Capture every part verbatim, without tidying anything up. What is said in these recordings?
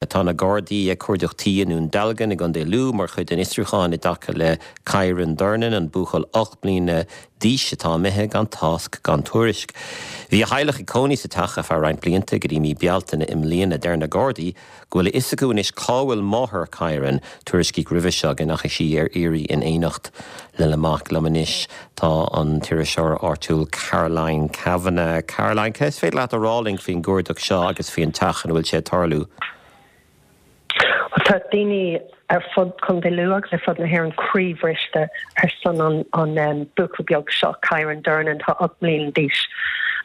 Tá na Gardaí ag cuardach tí i nDún Dealgan i gContae Lú mar chuid den fhiosrúchán i dtaca le Kyran Durnin an buachaill ocht mbliana d'aois atá imithe gan tásc gan tuairisc. Bhí a theaghlach ag cónaí sa teach ar feadh roinnt blianta go dtí mí Bealtaine i mbliana deir na Gardaí go bhfuil a fhios acu anois cá bhfuil máthair Kyran tuairiscíodh roimhe seo go ndeachaigh sí ar iarraidh in éineacht lena mac liom anois tá an t-iriseoir áitiúil Caroline Kavanagh. Caroline cé is féidir leat a rá linn faoin gcuardach seo agus faoin teach ina bhfuil sé ag tarlú. Tá daoine ar fud Chontae Lú agus ar fud na hÉireann croíbhriste ar son an an um, buachaill beag seo Kyran Durnin tá ocht mbliana d'aois.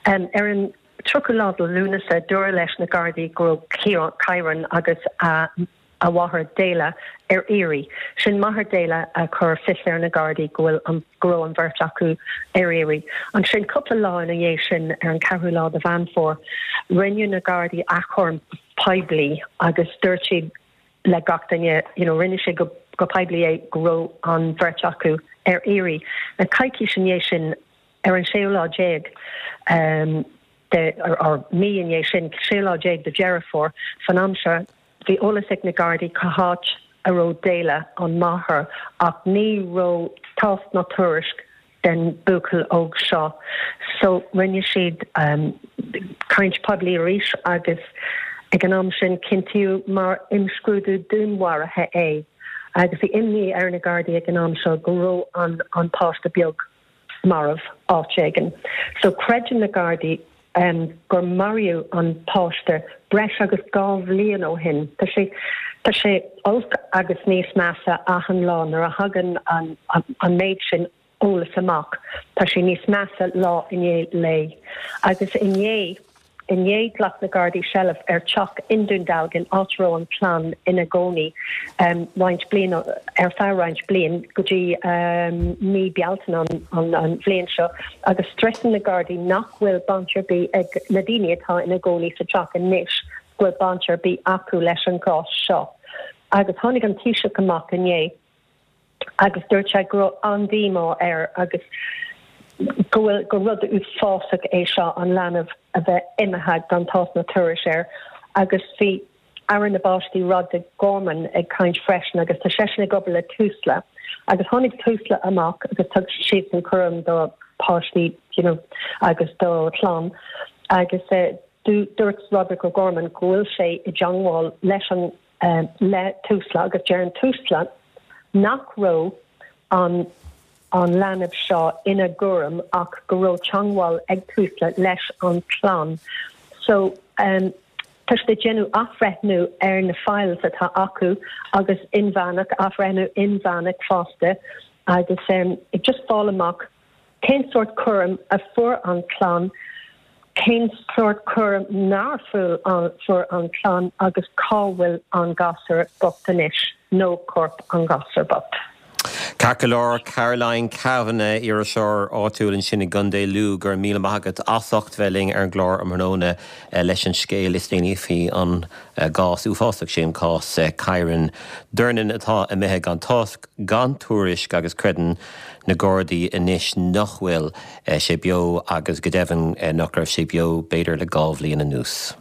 Um, ar an tríochadú lá de Lúnasa dúradh leis na Gardaí go raibh Kyran agus a a mháthair Dela ar iarraidh. Sin máthair Dela a chur fios ar na Gardaí go bhfuil an go raibh an bheirt acu ar iarraidh. Ansin cúpla lá ina dhiaidh sin ar an ceathrú lá de Mheán Fómhair, rinne na Gardaí achomharc poiblí agus dúirt siad le gach duine you know, rinne sé go, go poiblí é go raibh an bheirt acu ar iarraidh. Na coicís ina dhiaidh sin ar an séú lá déag um, de or, or mí ina dhiaidh sin séú lá déag de Dheireadh Fómhair fan am seo bhí eolas ag na Gardaí cá háit a raibh Dela an máthair ach ní raibh tásc ná tuairisc den buachaill óg seo. So rinne siad um, caint poiblí arís agus ag an am sin cinntíodh mar imscrúdú dúnmharaithe é. agus bhí imní ar na Gardaí ag an am seo go raibh an an páiste beag marbh áit éigin. So creideann na Gardaí um, gur maraíodh an páiste breis agus dhá bhliain ó shin. Tá sé Tá sé olc agus níos measa achan lá nuair a thagann an, an, an méid sin eolas amach. Tá sé níos measa lá i ndiaidh lae. Agus inné inné ghlac na Gardaí seilbh ar teach i nDún Dealgan áit a raibh an chlann ina gcónaí um, roinnt bliain ar feadh roinnt bliain go dtí um, mí Bealtaine an, an, an bhliain seo agus stressan na Gardaí nach bhfuil baint ar bith ag na daoine atá ina gcónaí sa teach anois go bhfuil baint ar bith acu leis an gcás seo. Agus tháinig an Taoiseach amach inné agus dúirt sé go raibh an-díomá air agus go bhfuil go rud uafásach é seo an leanbh a bheith imithe gan tásc ná tuairisc air agus bhí Aire na bPáistí Roderick O'Gorman ag caint freisin agus tá seisean ag obair le Tusla agus tháinig Tusla amach agus thug siad an cúram do páistí you know, agus do chlann agus uh, dúirt Roderick O'Gorman go bhfuil sé i dteagmháil leis an uh, le Tusla agus deir Tusla nach raibh an an leanbh seo ina gcúram ach go raibh teagmháil ag Tusla leis an chlann. So um, tá siad ag déanamh athbhreithniú ar na files atá acu agus inmheánach athbhreithniú inmheánach fosta agus um, ag just fáil amach cén sórt cúram a fuair an chlann, cén sórt cúram nár fuair an, fuair an chlann agus cá bhfuil an gasúr bocht anois nó corp an ghasúir bocht. Ceart go leor Caroline Kavanagh iriseoir áitiúil ansin i gContae Lú gur míle maith agat as ucht bheith linn ar an gclár um thráthnóna eh, leis an scéal is déanaí faoi an eh, gcás uafásach sin cás eh, Kyran Durnin atá imithe gan tásc gan tuairisc agus creideann na Gardaí anois nach bhfuil sé beo agus go deimhin nach raibh sé beo b'fhéidir le dhá bhliain anuas.